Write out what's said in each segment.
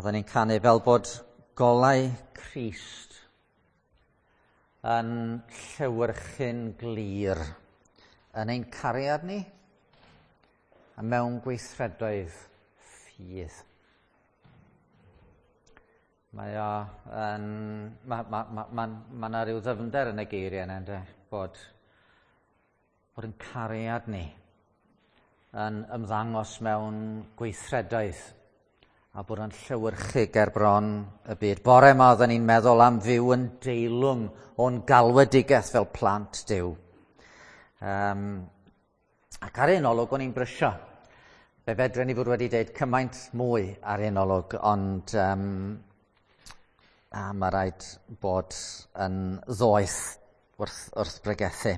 Oedden ni'n canu fel bod golau Crist yn llewyrchu'n glir yn ein cariad ni a mewn gweithredoedd ffydd. Mae o yn... Mae ma, ma, ma, ma 'na ryw ddyfnder yn y geiriau yna, ynde? Bod yn cariad ni yn ymddangos mewn gweithredoedd a bod yn llewyrchu ger bron y byd. Bore yma oedden ni'n meddwl am fyw yn deilwng o'n galwedigaeth fel plant Duw. Ac ar un olwg o'n i'n brysio. Fe fedren ni fod wedi deud cymaint mwy ar un olwg, ond a mae rhaid bod yn ddoeth wrth bregethu.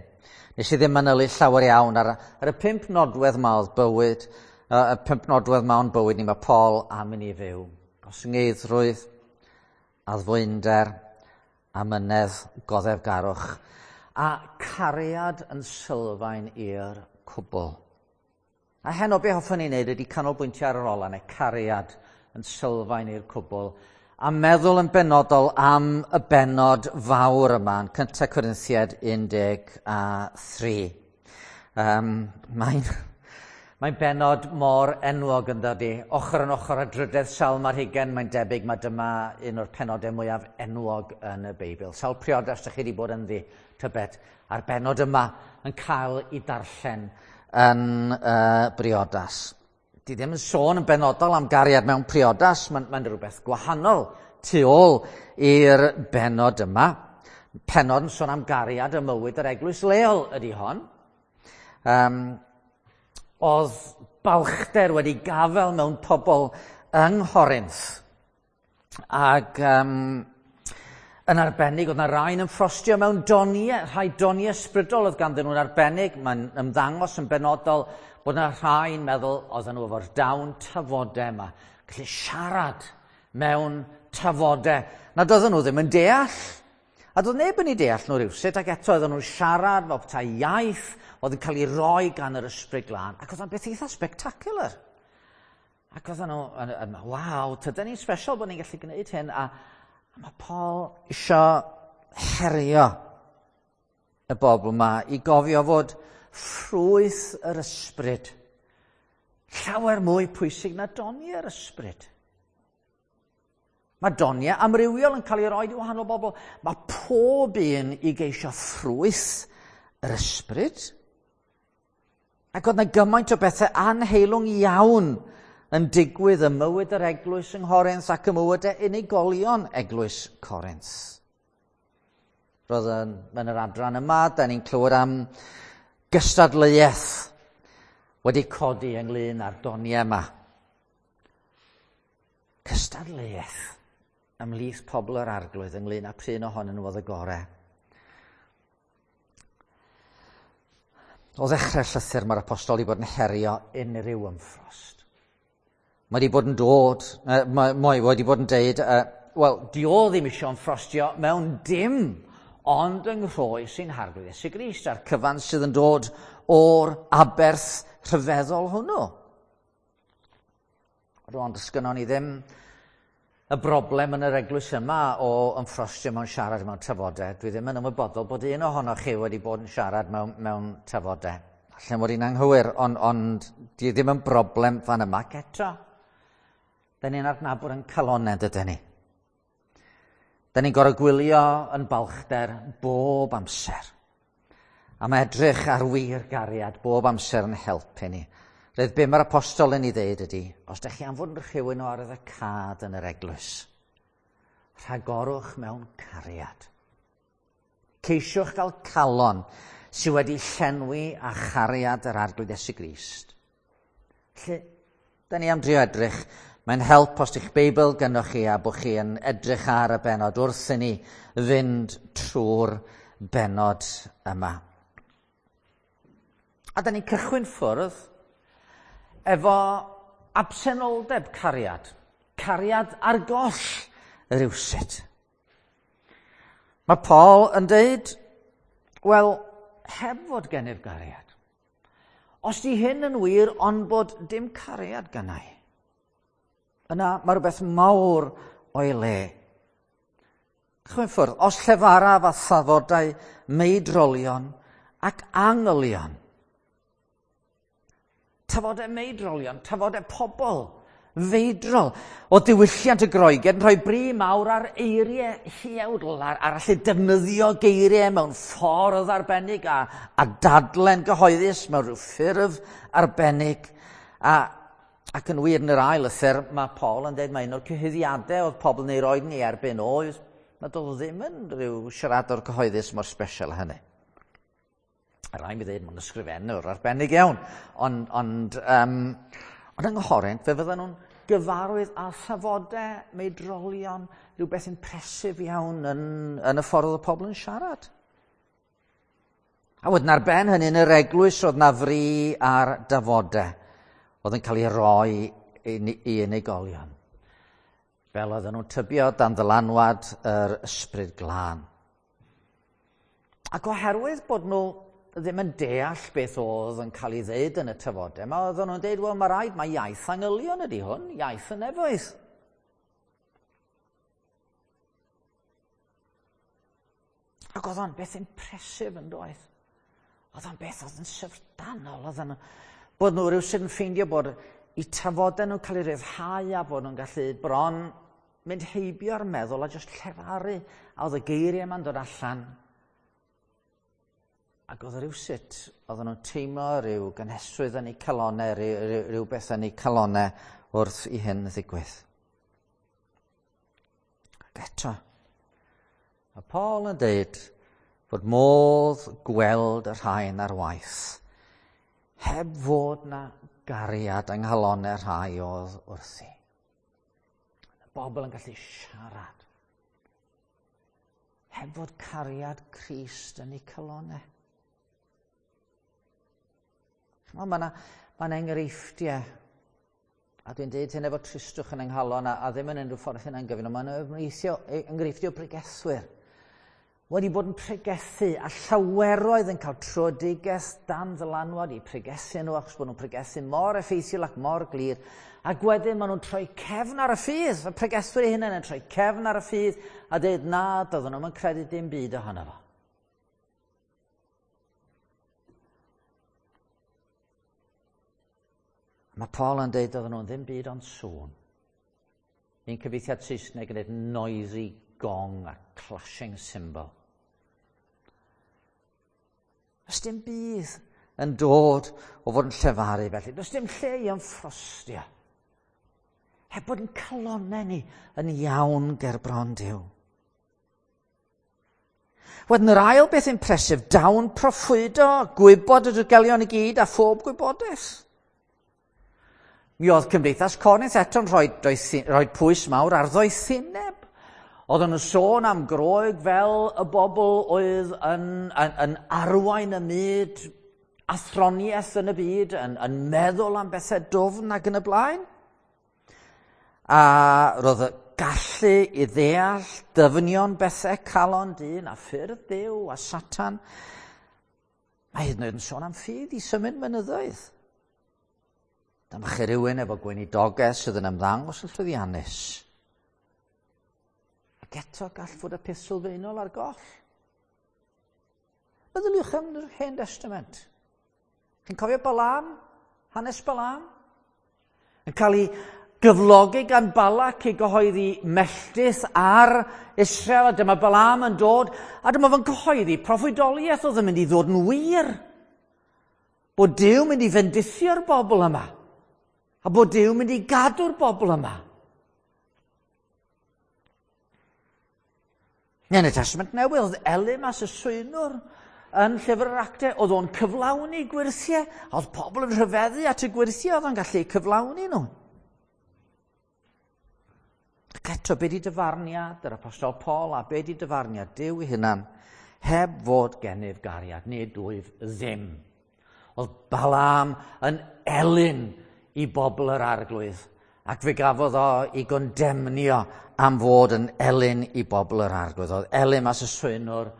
Nes i ddim manylu llawer iawn ar y 5 nodwedd ma oedd bywyd, y 5 nodwedd ma o'n bywyd ni, mae Paul am i ni fyw. Gostyngeiddrwydd, addfwynder, amynedd, goddefgarwch, a cariad yn sylfaen i'r cwbl. A heno be hoffwn i wneud ydy canolbwyntio ar yr ola, neu cariad yn sylfaen i'r cwbl, a meddwl yn benodol am y bennod fawr yma, yn 1 Corinthiaid 13. Mae'n bennod mor enwog yn dydi. Ochr yn ochr â drydedd Salm ar hugain, mae'n debyg mae dyma un o'r penodau mwyaf enwog yn y Beibl. Sawl priodas ydych chi wedi bod ynddi, tybed, a'r bennod yma yn cael ei darllen yn briodas. Di ddim yn sôn yn benodol am gariad mewn priodas, mae'n rhywbeth gwahanol tu ôl i'r bennod yma. Pennod yn sôn am gariad ym mywyd yr eglwys leol ydy hon. Oedd balchder wedi gafael mewn pobl yng Nghorinth. Ac yn arbennig, oedd yna rai'n ymffrostio mewn doniau, rhai doniau ysbrydol oedd ganddyn nhw'n arbennig. Mae'n ymddangos yn benodol bod yna rhai'n meddwl oedden nhw efo'r dawn tafodau yma, gallu siarad mewn tafodau nad oedden nhw ddim yn deall. A doedd neb yn ei deall nhw rywsut, ac eto oedden nhw'n siarad fel petai iaith oedd yn cael ei roi gan yr Ysbryd Glân, ac oedd o'n beth eitha spectacular. Ac oedden nhw yn waw, tydan ni'n special bod ni'n gallu gwneud hyn, a mae Paul isio herio y bobl yma i gofio fod ffrwyth yr ysbryd llawer mwy pwysig na doniau'r ysbryd. Mae doniau amrywiol yn cael ei roi i wahanol bobl. Mae pob un i geisio ffrwyth yr ysbryd. Ac oedd yna gymaint o bethau anheilwng iawn yn digwydd ym mywyd yr eglwys yng Nghorinth ac ym mywyd unigolion eglwys Corinth. Roedd yn yr adran yma, da ni'n clywed am gystadleuaeth wedi codi ynglyn â'r doniau yma. Cystadleuaeth ymhlith pobl yr Arglwydd ynglyn â p'run ohonyn nhw oedd y gorau. O ddechrau'r llythyr mae'r apostol wedi bod yn herio unrhyw ymffrost. Mae wedi bod yn dod, mae wedi bod yn deud, wel, di o ddim isio ymffrostio mewn dim, ond yng nghroes ein Harglwydd Iesu Grist, a'r cyfan sydd yn dod o'r aberth rhyfeddol hwnnw. Rwan, does gynnon ni ddim y broblem yn yr eglwys yma o ymffrostio mewn siarad mewn tafodau. Dwi ddim yn ymwybodol bod un ohonoch chi wedi bod yn siarad mewn tafodau. Allan fod i'n anghywir, ond di ddim yn broblem fan yma. Ac eto, da ni'n adnabod yn calonau, dydyn ni. Da ni'n gorfod gwylio yn balchder bob amser. A mae edrych ar wir gariad bob amser yn helpu ni. Roedd be mae'r apostol yn ei ddeud ydy, os ydych chi am fod yn rhywun o arwyddocâd yn yr eglwys, rhagorwch mewn cariad. Ceisiwch gael calon sydd wedi llenwi â chariad yr Arglwydd Iesu Grist. Felly, da ni am drio edrych. Mae'n help os ydych Beibl gynnwch chi a bod chi yn edrych ar y bennod wrth i ni fynd trwy'r bennod yma. A da ni'n cychwyn ffwrdd efo absenoldeb cariad. Cariad ar goll rywsut. Mae Paul yn deud, wel, heb fod gennyf gariad. Os di hyn yn wir, ond bod dim cariad gennai. Yna mae rhywbeth mawr o'i le. Chwyn ffwrdd, os llefaraf a thafodau meidrolion ac angylion. Tafodau meidrolion, tafodau pobl feidrol. O diwylliant y Groeged yn rhoi bri mawr ar eiriau huawdl, ar allu defnyddio geiriau mewn ffordd arbennig a dadlen gyhoeddus mewn rhyw ffurf arbennig. Ac yn wir yn yr ail lythyr, mae Paul yn dweud mae un o'r cyhuddiadau oedd pobl yn ei roed ni erbyn oedd, mae doedd ddim yn rhyw siaradwr cyhoeddus mor special hynny. A rai mi ddweud, mae'n ysgrifennwr arbennig iawn. Ond yng Nghorint, fe fydden nhw'n gyfarwydd â thafodau, meidrolion, rhywbeth impresif iawn yn y ffordd oedd y pobl yn siarad. A wedyn ar ben hynny yn yr eglwys oedd na fri ar dafodau oedd yn cael ei roi i unigolion. Fel oedden nhw'n tybio dan ddylanwad yr ysbryd glân. Ac oherwydd bod nhw ddim yn deall beth oedd yn cael ei ddeud yn y tafodau, mae oedden nhw'n deud, wel, mae rhaid, mae iaith angylion ydy hwn, iaith y nefoedd. Ac oedd o'n beth impresif yn doedd. Oedd o'n beth oedd yn syfrdanol. Oedd o'n bod nhw rhywsut yn ffeindio bod eu tafodau nhw'n cael eu rhyddhau a bod nhw'n gallu bron mynd heibio'r meddwl a jyst llefaru. A oedd y geiriau yma'n dod allan. Ac oedd rhywsut, oedden nhw'n teimlo rhyw gynhesrwydd yn eu calonau, rhywbeth yn eu calonau wrth i hyn ddigwydd. Ac eto, mae Paul yn dweud bod modd gweld y rhain ar waith, heb fod na gariad yng nghalonau rhai oedd wrthi. Y bobl yn gallu siarad, heb fod cariad Crist yn eu calonau. Mae yna enghreifftiau, a dwi'n dweud hyn efo tristwch yn yng nghalon a ddim yn unrhyw ffordd hynna'n gyfyn, ond mae yna enghreifftiau o bregethwyr wedi bod yn pregethu a llaweroedd yn cael tröedigaeth dan ddylanwad i pregethu nhw achos bod nhw'n pregethu mor effeithiol ac mor glir. Ac wedyn maen nhw'n troi cefn ar y ffydd. Y pregethwyr eu hunain yn troi cefn ar y ffydd a dweud na, doedden nhw'm yn credu dim byd ohono fo. Mae Paul yn dweud oedden nhw'n ddim byd ond sŵn. Un cyfieithiad Saesneg yn dweud noisy gong a clashing cymbal. Does dim byd yn dod o fod yn llefaru felly. Does dim lle i ymffrostio. Heb bod yn calonau ni yn iawn ger bron Duw. Wedyn yr ail beth impresif, dawn proffwydo, gwybod y dirgelion i gyd a phob gwybodaeth. Mi oedd Cymdeithas Corinth eto'n rhoi pwys mawr ar ddoethineb. Oedden nhw'n sôn am Groeg fel y bobl oedd yn arwain y myd, athroniaeth yn y byd, yn meddwl am bethau dwfn ac yn y blaen. A roedd y gallu i ddeall dyfnion bethau calon dyn a ffyrdd Duw a Satan. Mae hyd yn oed yn sôn am ffydd i symud mynyddoedd. Dyma chi rhywun efo gweinidogaeth sydd yn ymddangos yn llwyddiannus. Ac eto gall fod y peth sylfaenol ar goll. Meddyliwch am yr Hen Testament. Chi'n cofio Balaam? Hanes Balaam? Yn cael ei gyflogi gan Balak i gyhoeddi melltith ar Israel, a dyma Balaam yn dod, a dyma fo'n cyhoeddi proffwydoliaeth oedd yn mynd i ddod yn wir. Bod Duw mynd i fendithio'r bobl yma, a bod Duw mynd i gadw'r bobl yma. Yn y Testament Newydd, oedd Elymas y swynwr yn llyfr yr Actau, oedd o'n cyflawni gwyrthiau, a oedd pobl yn rhyfeddu at y gwyrthiau oedd o'n gallu cyflawni nhw. Ac eto, be di dyfarniad yr Apostol Paul a be di dyfarniad Duw ei hunan, heb fod gennyf gariad, nid wyf ddim. Oedd Balaam yn elyn i bobl yr Arglwydd, ac fe gafodd o ei gondemnio am fod yn elyn i bobl yr Arglwydd. Oedd Elymas y swynwr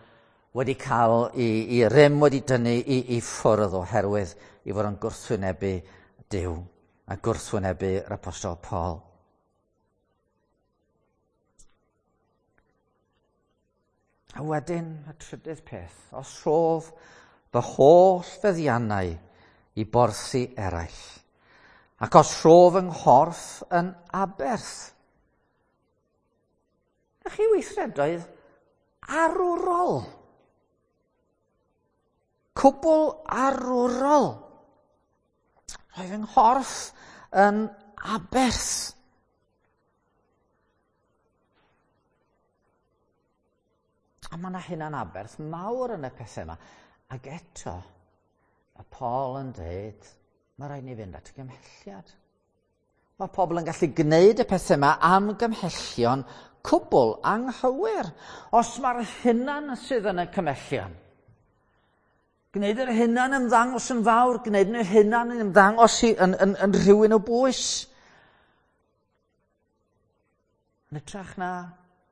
wedi cael ei rym wedi dynnu i ffwrdd oherwydd i fod yn gwrthwynebu Duw a gwrthwynebu'r Apostol Paul. A wedyn, y trydydd peth, os rhof fy holl feddiannau i borthi eraill, ac os rhof yng nghorff yn aberth. Na chi weithredoedd arwrol. Cwbl arwrol. Rhoi fy nghorff yn aberth. A mae yna hunan aberth mawr yn y pethau yma. Ac eto, mae Paul yn dweud, mae rhaid ni fynd at y gymhelliad. Mae pobl yn gallu gwneud y pethau yma am gymhellion cwbl anghywir. Os mae'r hunan sydd yn y cymhellion, gwneud yr hunan ymddangos yn fawr, gwneud yr hunan yn ymddangos yn, yn, yn rhywun o bwys. Yn ytrach na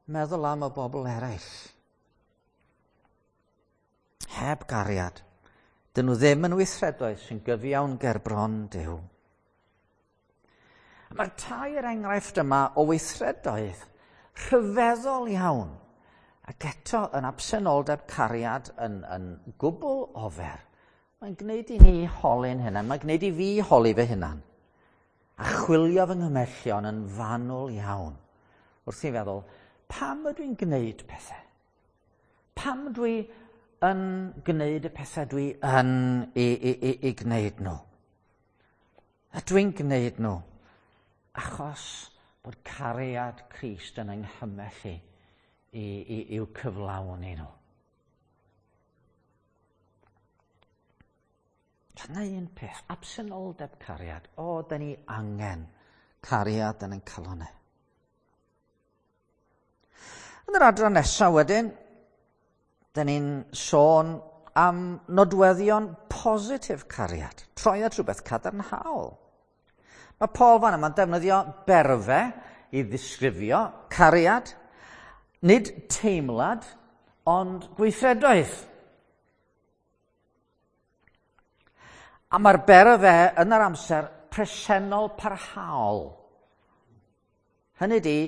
meddwl am y bobl eraill. Heb gariad, dyn nhw ddim yn weithredoedd sy'n gyfiawn ger bron Duw. Mae'r tair enghraifft yma o weithredoedd rhyfeddol iawn ac eto yn absenoldeb cariad yn, yn gwbl ofer. Mae'n gwneud i ni holi'n hunan, mae'n gwneud i fi holi fy hunan a chwilio fy nghymellion yn fanwl iawn wrth i feddwl, pam ydw i'n gwneud pethau? Pam dwi yn gwneud y pethau dwi yn i, i, i, i gwneud nhw? Ydw i'n gwneud nhw achos bod cariad Crist yn yng i i, i, i'w cyflawni nhw. Dyna un peth, absenoldeb cariad. O, da ni angen cariad yn ein calonau. Yn yr adran nesaf wedyn, da ni'n sôn am nodweddion positif cariad, troi at rhywbeth cadarnhaol. Mae Paul fan yma'n defnyddio berfe i ddisgrifio cariad, nid teimlad, ond gweithredoedd. A mae'r berfe yn yr amser presennol parhaol. Hynny di,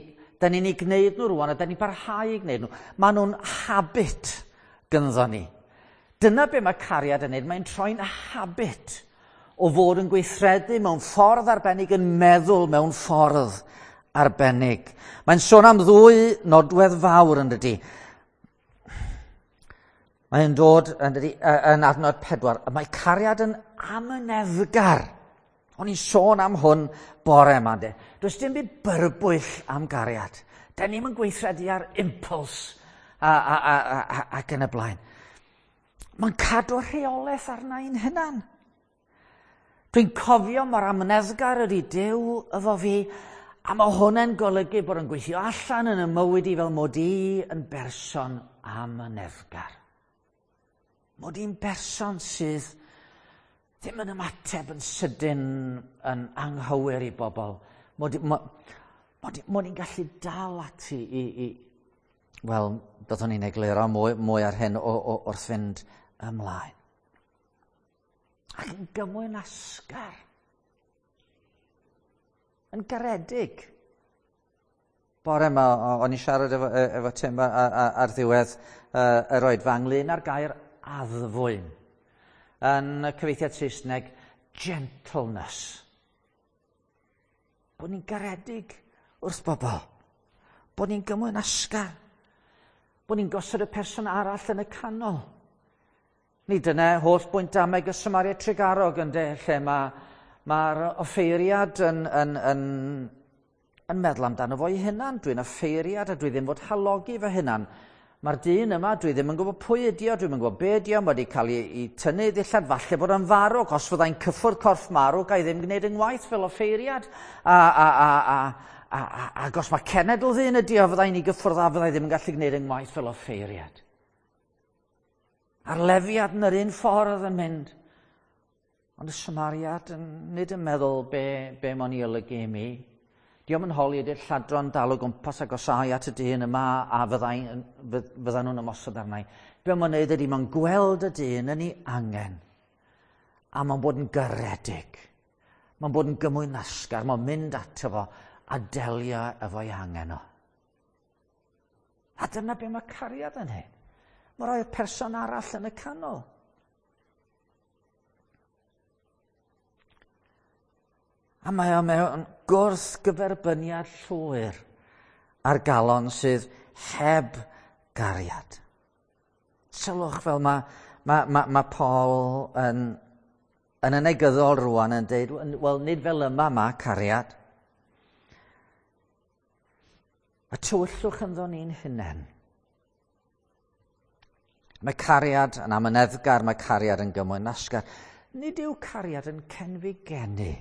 Da ni'n ei gwneud nhw rwan a da ni'n parhau i gwneud nhw. Maen nhw'n habit gynddo ni. Dyna be mae cariad yn neud. Mae'n troi'n habit o fod yn gweithredu mewn ffordd arbennig, yn meddwl mewn ffordd arbennig. Mae'n sôn am ddwy nodwedd fawr yn dydy. Mae'n dod yn, dydy, yn adnod pedwar. Mae cariad yn amyneddgar. O'n i'n sôn am hwn bore yma, de. Does dim byd byrbwyll am gariad. Da ni'n yn gweithredu ar impuls a, a, a, a, a, ac yn y blaen. Mae'n cadw rheolaeth arna i'n hunan. Dwi'n cofio mor amneddgar ydy Duw efo fi, a mae hwnna'n golygu bod yn gweithio allan yn y mywyd i fel mod i yn berson amyneddgar. Mod i'n berson sydd ddim yn ymateb yn sydyn yn anghywir i bobl. Mod, mod, mod, mod i'n gallu dal ati i... i wel, byddwn ni'n egluro mwy, mwy ar hyn o, o, wrth fynd ymlaen. Ac yn gymwynasgar. Yn garedig. Bore yma, o'n i'n siarad efo, e, efo Tim ar ddiwedd yr oedfa ynglyn â'r gair addfwyn. Yn y cyfeithiad Saesneg, gentleness. Bod ni'n garedig wrth bobl. Bod ni'n gymwynasgar. Bod ni'n gosod y person arall yn y canol. Ni dyna holl bwynt dameg y Samaria Tregarog ynde, lle mae'r ma offeiriad yn, yn, yn, yn meddwl amdano fo'i hunan. Dwi'n offeiriad a dwi ddim fod halogi fy hunan. Mae'r dyn yma, dwi ddim yn gwybod pwy ydi o, dwi'm yn gwybod be ydi o, mae wedi cael ei, ei tynnu ddillad, falle bod o'n farw, os fyddai'n cyffwrdd corff marw, ga i ddim gwneud yng ngwaith fel offeiriad. A, a, a, a, a, a, ac os mae cenedl ddyn ydi o, fyddai'n ei gyffwrdd a fyddai ddim yn gallu gwneud yng ngwaith fel offeiriad. A'r lefiad yn yr un ffordd yn mynd. Ond y Samariad yn, nid yn meddwl be, be mo'n i olygu i mi. Diolch yn holi ydy'r lladron dal o gwmpas agosau at y dyn yma a fyddai, fyddan nhw'n ymosod arna i. Be mae'n neud ydy mae'n gweld y dyn yn ei angen. A mae'n bod yn garedig. Mae'n bod yn gymwynasgar. Mae'n mynd ato fo a delio efo'i angen o. A dyna be mae cariad yn hyn. Mae rhoi'r person arall yn y canol. A mae o mewn gwrthgyferbyniad llwyr ar galon sydd heb gariad. Sylwch fel mae Paul yn y negyddol rwan yn dweud, wel, nid fel yma mae cariad. Y tywyllwch ynddo ni'n hunain. Mae cariad yn amyneddgar, mae cariad yn gymwynasgar. Nid yw cariad yn cenfigenu.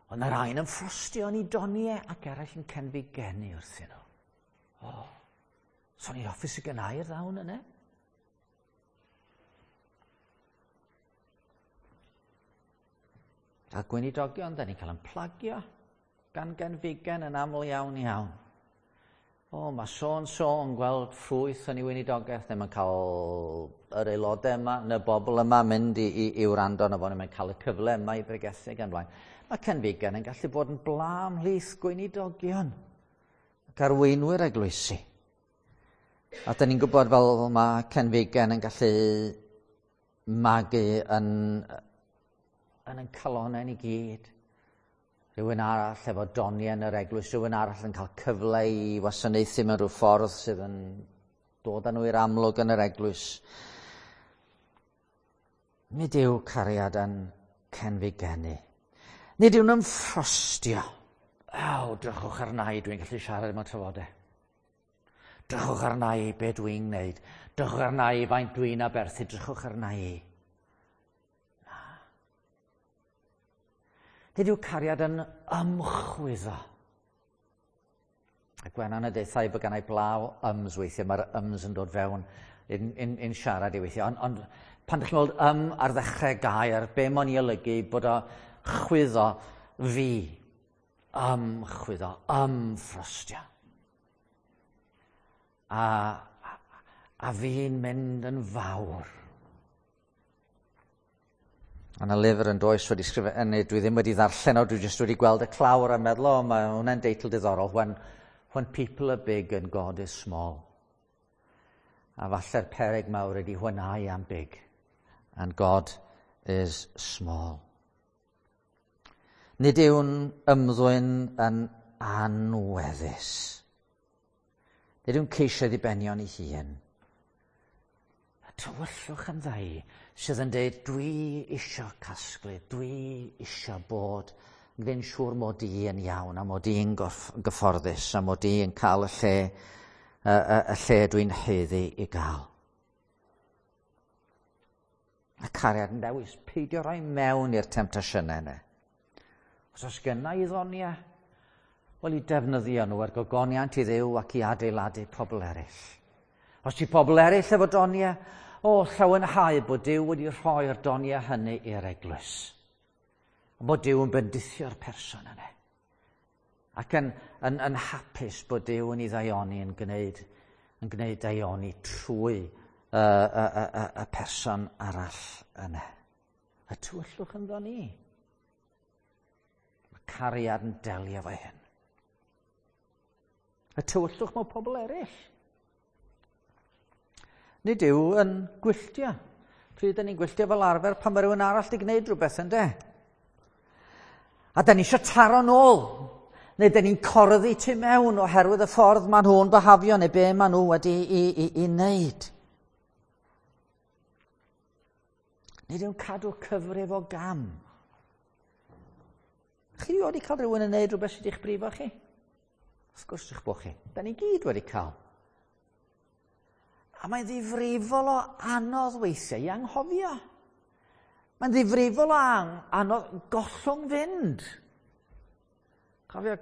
Ond mae'r rhain yn ffrostio yn ei doniau ac eraill yn cenfigenu wrthyn nhw. O, so ni'n hoffi sy'n gynnau'r ddawn yna. Fel gweinidogion, da ni'n cael yn plagio gan genfigen yn aml iawn iawn. O, mae so-and-so yn gweld ffrwyth yn ei weinidogaeth, neu mae'n cael yr aelodau yma, neu bobl yma mynd i wrando arno fo, neu mae'n cael y cyfle yma i bregethu gan blaen. Mae cenfigen yn gallu bod yn bla ymhlith gweinidogion ac arweinwyr eglwysi. A da ni'n gwybod fel mae cenfigen yn gallu magu yn calonnau ni gyd. Rhywun arall efo doniau yn yr eglwys, rhywun arall yn cael cyfle i wasanaethu mewn rhyw ffordd sydd yn dod â nhw i'r amlwg yn yr eglwys. Nid yw cariad yn cenfigenu. Nid yw'n ymffrostio. Aw, drychwch arna i, dwi'n gallu siarad mewn trafodau. Drychwch arna i be dwi'n gwneud. Drychwch arna i faint dwi'n aberthu. Drychwch arna i. Na. Nid yw cariad yn ymchwyddo. A Gwenan y deuthau bod gennau blaw yms weithiau, mae'r yms yn dod fewn in siarad i weithiau. Ond pan ydych chi'n gweld ym ar ddechrau gair, be mae'n i olygu bod o chwyddo fi, ymchwyddo, ymffrostio. A fi'n mynd yn fawr. A yna lyfr yn does wedi sgrifennu, dwi ddim wedi ddarllen o, dwi jyst wedi gweld y clawr a meddwl, o, mae hwnna'n deitl diddorol, when people are big and God is small. A falle'r peryg mawr ydy when I am big and God is small. Nid yw'n ymddwyn yn anweddus. Nid yw'n ceisio ddibenion ei hun. Y tywyllwch yn ddau sydd yn dweud, dwi isio casglu, dwi isio bod yn gwneud siŵr mod i yn iawn a mod i'n gyfforddus a mod i'n cael y lle dwi'n haeddu i gael. A cariad yn dewis, peidio rhoi mewn i'r temtasiynau yna. Os oes gynna i ddoniau, wel i defnyddio nhw er gogoniant i Dduw ac i adeiladu pobl eraill. Os ti pobl eraill efo doniau, o, llawenhau bod Duw wedi rhoi'r doniau hynny i'r eglwys. A bod Duw yn bendithio'r person yna. Ac yn hapus bod Duw yn ei ddaioni, yn gwneud daioni trwy y person arall yna. Y tywyllwch ynddo ni. Mae cariad yn delio efo hyn. Y tywyllwch mewn pobl eraill. Nid yw yn gwylltio. Pryd ydyn ni'n gwylltio fel arfer pan mae rhywun arall wedi gwneud rhywbeth, yndê? A da ni eisiau taro nôl. Neu da ni'n corddi tu mewn oherwydd y ffordd maen nhw'n byhafio neu be maen nhw wedi i wneud. Nid yw'n cadw cyfrif o gam. Chi wedi cael rhywun yn gwneud rhywbeth sydd wedi'ch brifo chi? Wrth gwrs eich bod chi. Da ni gyd wedi cael. A mae'n ddifrifol o anodd weithiau i anghofio. Mae'n ddifrifol o anodd gollwng fynd. Cofio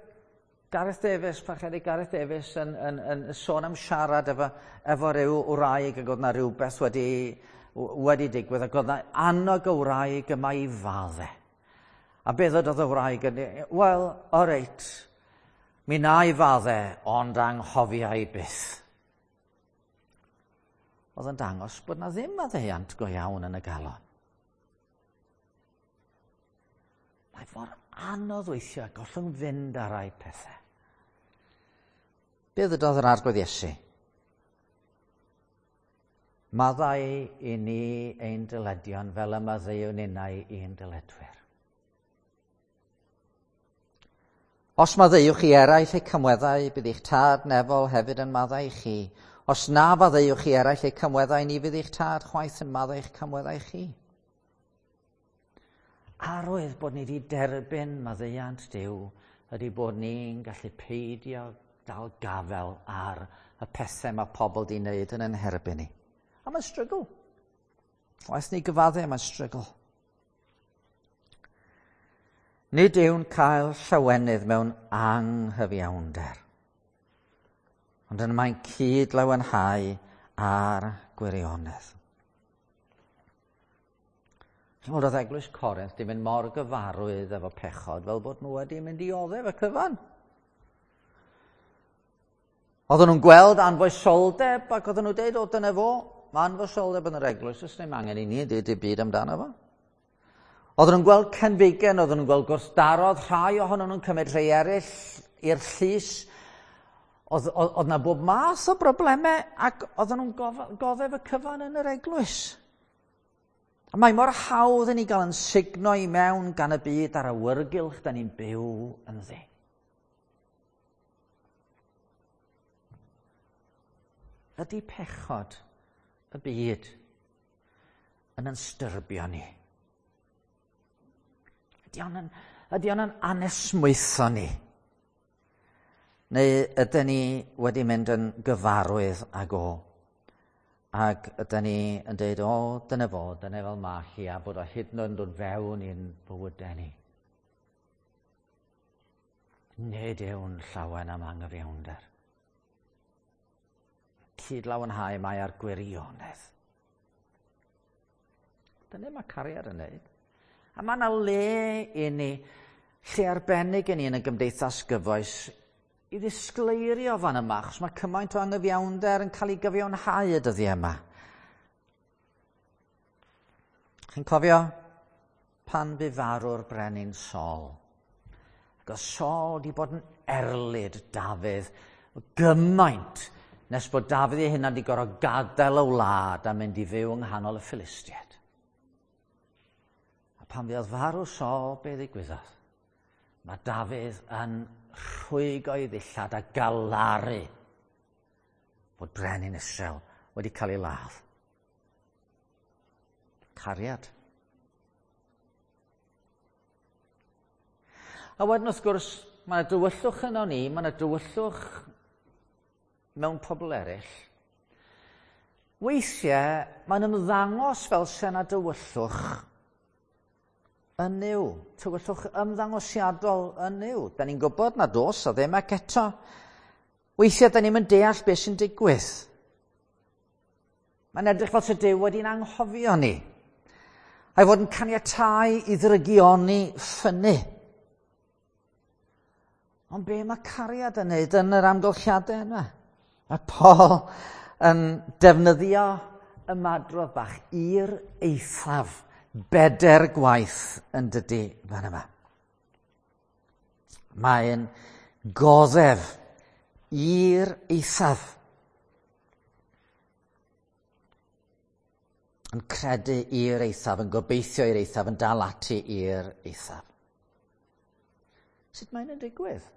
Gareth Davies, parchedig Gareth Davies yn sôn am siarad efo rhyw wraig ac oedd na rhywbeth wedi digwydd ac oedd na annog y wraig yma i fadde. A beth oedd y wraig yn dweud? Wel, o reit, mi na i fadde, ond anghofia i byth. Oedd yn dangos bod na ddim maddeuant go iawn yn y galon. Mae mor anodd weithiau gollwng fynd ar rai pethau. Be ddydodd yr Arglwydd Iesu? Maddau i ni ein dyledion fel y maddeuwn ninnau i'n dyledwyr. Os maddeuwch i eraill eu camweddau, bydd eich Tad nefol hefyd yn maddau i chi. Os na faddeuwch i eraill eu camweddau, ni fydd eich Tad chwaith yn maddau eich camweddau chi. Arwydd bod ni wedi derbyn maddeuant Duw ydy bod ni'n gallu peidio dal gafel ar y pethau mae pobl di wneud yn ein herbyn ni. A mae'n strygl. Waeth ni gyfadde, mae'n strygl. Nid yw'n cael llawenydd mewn anghyfiawnder, ond yn mae'n cyd lawenhau ar gwirionedd. Chimod, oedd Eglwys Corinth di mynd mor gyfarwydd efo pechod fel bod nhw wedi mynd i oddef y cyfan. Oedden nhw'n gweld anfoesoldeb ac oedden nhw'n dweud, o dyna fo, mae anfoesoldeb yn yr eglwys, oes ddim angen i ni dweud y byd amdano fo. Oedden nhw'n gweld cenfigen, oedden nhw'n gweld gwrthdarodd, rhai ohonyn nhw'n cymryd rhai eraill i'r llys. Oedd, oedd, oedd na bob math o broblemau ac oedden nhw'n goddef y cyfan yn yr eglwys. A mae mor hawdd i ni gael yn sugno i mewn gan y byd a'r awyrgylch da ni'n byw ynddi. Ydy pechod y byd yn styrbio ni? Ydy o'n yn, ydy o'n yn anesmwytho ni? Neu ydyn ni wedi mynd yn gyfarwydd ag o? Ac ydyn ni yn dweud, o, dyna fo, dyna fel ma hi, a bod o hyd yn oed yn dod fewn i'n bywydau ni. Nid yw'n llawen am anghyfiawnder. Cyd lawenhau mae ar gwirionedd. Dyna mae cariad yn neud. A mae yna le i ni, lle arbennig i ni yn y gymdeithas gyfoes i ddisgleirio fan yma, achos mae cymaint o anghyfiawnder yn cael ei gyfiawnhau y dyddiau yma. Chi'n cofio pan bu farw'r brenin Saul? Ac oedd Saul wedi bod yn erlid Dafydd gymaint nes bod Dafydd ei hunan wedi gorfod gadael y wlad a mynd i fyw yng nghanol y Philistiaid. A pan fuodd farw Saul, be ddigwyddodd? Mae Dafydd yn rhwygo ei ddillad a galaru bod brenin Israel wedi cael ei ladd. Cariad. A wedyn wrth gwrs, mae yna dywyllwch yno ni, mae yna dywyllwch mewn pobl eraill. Weithiau, mae'n ymddangos fel se yna dywyllwch yn Nuw, tywyllwch ymddangosiadol yn Nuw. Da ni'n gwybod na dos o ddim ac eto. Weithiau, da ni'n deall beth sy'n digwydd. Mae'n edrych fel se Duw wedi'n anghofio ni. A'i fod yn caniatáu i ddrygioni ffynnu. Ond be mae cariad yn neud yn yr amgylchiadau yna? Mae Paul yn defnyddio ymadrodd bach i'r eithaf bedair gwaith yn dydy fan yma. Mae'n goddef i'r eithaf. Yn credu i'r eithaf, yn gobeithio i'r eithaf, yn dal ati i'r eithaf. Sut mae'n yn digwydd?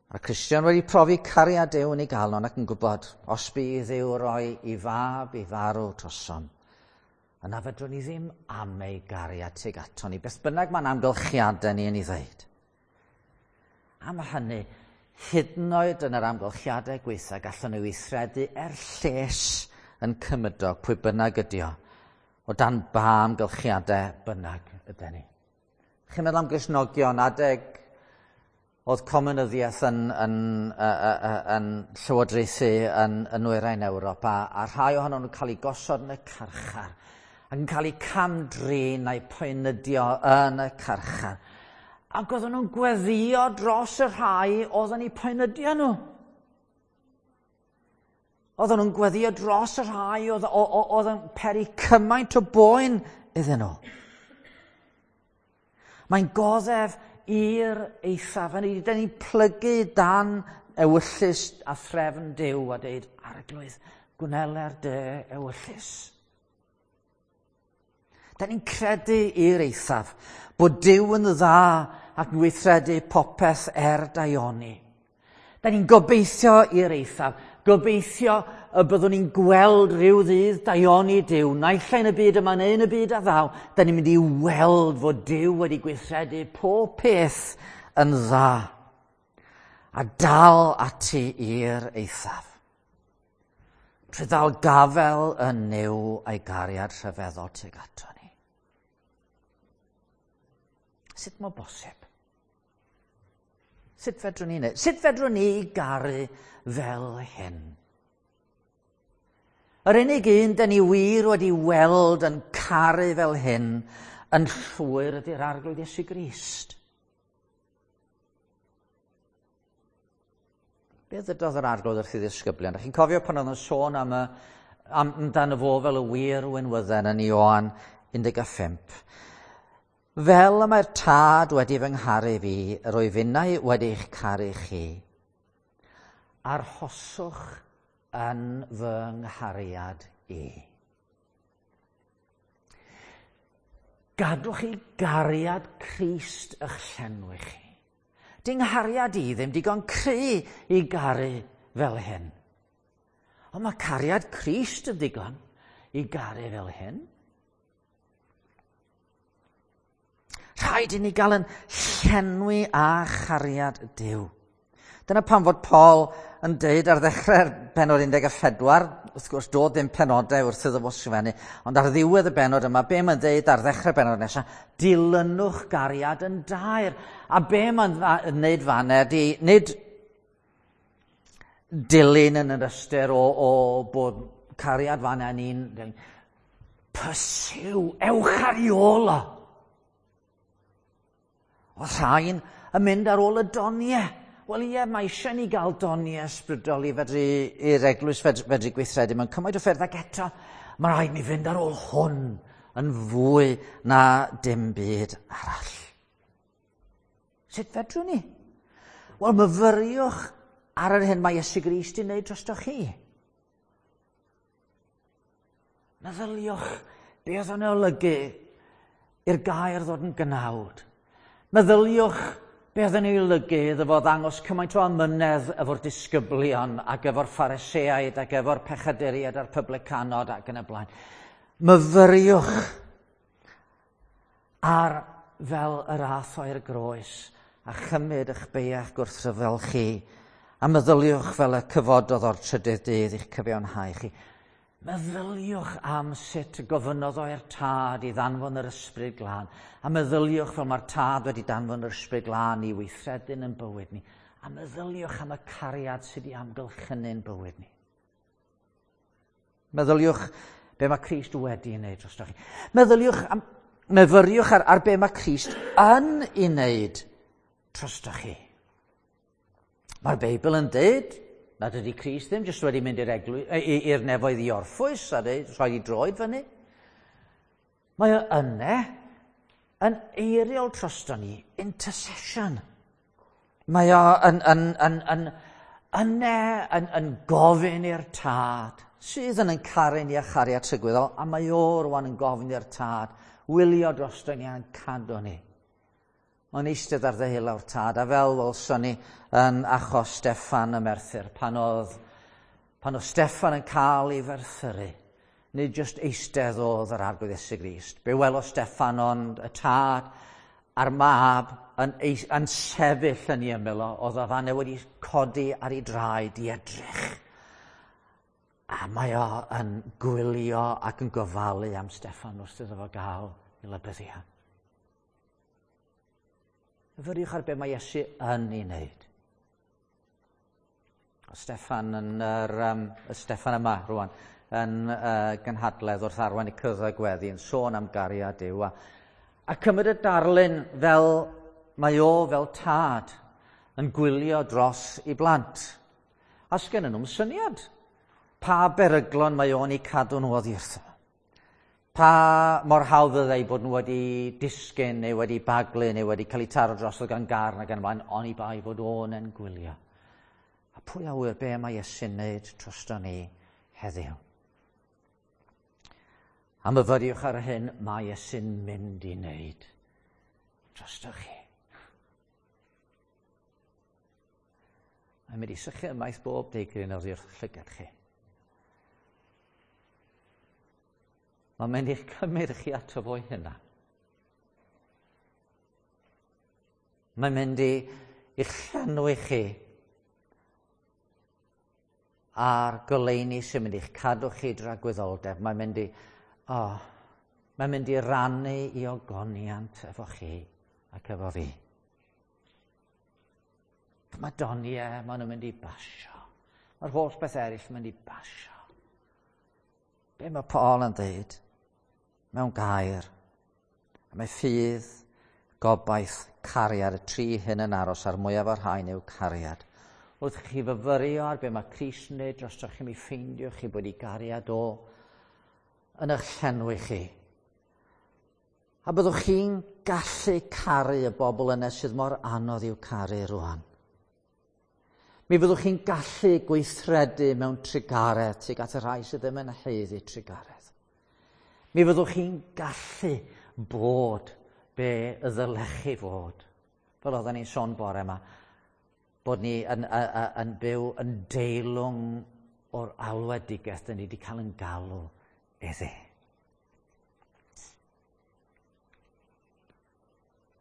Mae'r Cristion wedi profi cariad Duw yn ei galon ac yn gwybod os bydd Dduw roi i fab i farw trosom, yna fedrwn ni ddim am ei gariad tuag ato ni, beth bynnag mae'n amgylchiadau ni yn ei ddeud. Am hynny, hyd yn oed yn yr amgylchiadau gweitha, gallwn ni weithredu er lles yn cymydog, pwy bynnag ydi o, o dan ba amgylchiadau bynnag ydyn ni. Chi'n meddwl am Gristnogion adeg oedd comunyddiaeth yn, yn, yn, yn llywodraethu yn, yn nwyrain Ewrop, a, a rhai ohonyn nhw'n cael eu gosod yn y carchar, ac yn cael eu cam-drin a'u poenydio yn y carchar. Ac oedden nhw'n gweddio dros y rhai oedd yn eu poenydio nhw. Oedden nhw'n gweddio dros y rhai oedd, oedd yn peri cymaint o boen iddyn nhw. Mae'n goddef i'r eithaf. Hynny yw, dan ni'n plygu dan ewyllys a threfn Duw a deud, Arglwydd, gwneler dy ewyllys. Da ni'n credu i'r eithaf bod Duw yn dda ac yn gweithredu popeth er daioni. Da ni'n gobeithio i'r eithaf, gobeithio y byddwn ni'n gweld rhyw ddydd daioni Duw, naill ai yn y byd yma neu yn y byd a ddaw, da ni'n mynd i weld fod Duw wedi gweithredu pob peth yn dda a dal ati i'r eithaf. Trwy ddal gafel yn Nuw a'i gariad rhyfeddol tuag ato ni. Sut mae bosib? Sut fedrwn ni wneud? Sut fedrwn ni garu fel hyn? Yr unig un dyn ni wir wedi weld yn caru fel hyn yn llwyr ydy'r Arglwydd Iesu Grist. Be ddydodd yr Arglwydd wrth ei ddisgyblion? Chi'n cofio pan oedd yn sôn am y, am, amdano fo fel y wir winwydden yn Ioan 15. Fel y mae'r Tad wedi fy ngharu fi, yr wyf innau wedi eich caru chi. Arhoswch yn fy nghariad i. Gadwch i gariad Crist eich llenwi chi. Di nghariad i ddim digon cry i garu fel hyn. Ond mae cariad Crist yn ddigon i garu fel hyn. Rhaid i ni gael yn llenwi â chariad Duw. Dyna pam fod Paul yn deud ar ddechrau'r penod 14, wrth gwrs doedd ddim penodau wrth iddo fo sgrifennu, ond ar ddiwedd y benod yma, be mae'n deud ar ddechrau'r benod nesaf, dilynwch gariad yn daer. A be mae'n wneud fan ydy, nid dilyn yn yr ystyr o, o bod cariad fan yn un, pursue, ewch ar ei ôl o. Oedd rhain yn mynd ar ôl y doniau. Wel ie, mae eisiau ni gael doniau ysbrydol i fedru, i'r eglwys fedru, fedru gweithredu mewn cymaint o ffyrdd ac eto, mae rhaid ni fynd ar ôl hwn yn fwy na dim byd arall. Sut fedrwn ni? Wel, myfyriwch ar yr hyn mae Iesu Grist i wneud drostoch chi. Meddyliwch be oedd o'n olygu i'r gair ddod yn gnawd. Meddyliwch be oedd yn ei olygu iddo fo ddangos cymaint o amynedd efo'r disgyblion ac efo'r Phariseaid ac efo'r pechaduriaid a'r publicanod ac yn y blaen. Myfyriwch ar fel yr ath o i'r groes a chymryd eich beiach gwrthryfel chi a meddyliwch fel y cyfododd o'r trydydd dydd i'ch cyfiawnhau chi. Meddyliwch am sut y gofynnodd o i'r Tad i ddanfon yr Ysbryd Glân, a meddyliwch fel mae'r Tad wedi danfon yr Ysbryd Glân i weithredu'n yn bywyd ni, a meddyliwch am y cariad sydd wedi amgylchynu'n bywyd ni. Meddyliwch be mae Crist wedi ei wneud drostoch chi. Meddyliwch am, myfyriwch ar, ar be mae Crist yn ei wneud drostoch chi. Mae'r Beibl yn dweud nad ydy Crist ddim jyst wedi mynd i'r i'r nefoedd i orffwys a dweud, rhoi i droed fyny. Mae o yne yn eiriol drosto ni, intercession. Mae o yn, yn, yn, yn, yne yn, yn gofyn i'r Tad, sydd yn yn caru ni a chariad trygwyddol, a mae o rwan yn gofyn i'r Tad, wylio drosto ni a'n cadw ni. Mae'n eistedd ar ddeheulaw'r Tad, a fel welson ni yn achos Steffan y Merthyr, pan oedd, pan oedd Steffan yn cael ei ferthyru, nid jyst eistedd oedd yr Arglwydd Iesu Grist. Be welodd Steffan ond y Tad a'r Mab yn, yn sefyll yn ei ymyl o, oedd o fanne wedi codi ar ei draed i edrych. A mae o yn gwylio ac yn gofalu am Steffan wrth iddo fo gael ei lybyddio. Myfyriwch ar be mae Iesu yn ei wneud. O Steffan yn yr, um, y Steffan yma rwan, yn uh, gynhadledd wrth arwain y cyddau gweddi yn sôn am gariad Duw a, a cymryd y darlun fel mae o fel tad yn gwylio dros i blant. A sgennyn nhw'n syniad pa beryglon mae o'n eu cadw nhw oddi wrtho. Pa mor hawdd fyddai bod nhw wedi disgyn neu wedi baglu neu wedi cael eu taro drosodd gan garn ac yn y blaen, oni bai fod o'n yn gwylio. Pwy a ŵyr be mae Iesu'n wneud drosto ni heddiw? A myfyriwch ar hyn mae Iesu'n mynd i wneud drosto chi. Mae'n mynd i sychu ymaith bob deigryn oddi wrth llygad chi. Mae'n mynd i'ch cymryd chi ato fo'i hynna. Mae'n mynd i i'ch llenwi chi a'r goleuni sy'n mynd i'ch cadw chi dragwyddoldeb. Mae'n mynd i, oh, mae'n mynd i rannu i ogoniant efo chi ac efo fi. Mae doniau, maen nhw'n mynd i basio. Mae'r holl beth eraill yn mynd i basio. Be mae Paul yn dweud? Mewn gair. A mae ffydd, gobaith, cariad, y tri hyn yn aros a'r mwyaf o'r rhain yw cariad. Wrth chi fyfyrio ar be mae Crist yn neud drostoch chi, mi ffeindiwch chi bod i gariad o yn eich llenwi chi. A byddwch chi'n gallu caru y bobl yna sydd mor anodd i'w caru rwan. Mi fyddwch chi'n gallu gweithredu mewn trugaredd tuag at y rhai sydd ddim yn haeddu trugaredd. Mi fyddwch chi'n gallu bod be y ddylech chi fod. Fel oedden ni'n sôn bore yma, bod ni yn, yn, yn byw yn deilwng o'r alwedigaeth dyn ni wedi cael yn galw iddi.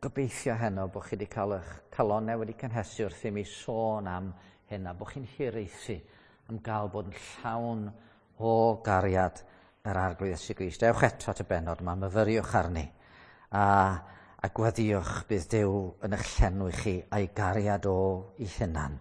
Gobeithio heno bod chi wedi cael eich calonnau wedi cynhesu wrth i mi sôn am hyn a bod chi'n hiraethu am gael bod yn llawn o gariad yr Arglwydd Iesu Grist. Ewch eto at y bennod yma, myfyriwch arni a, a gweddïwch bydd Duw yn eich llenwi chi a'i gariad o i hunan.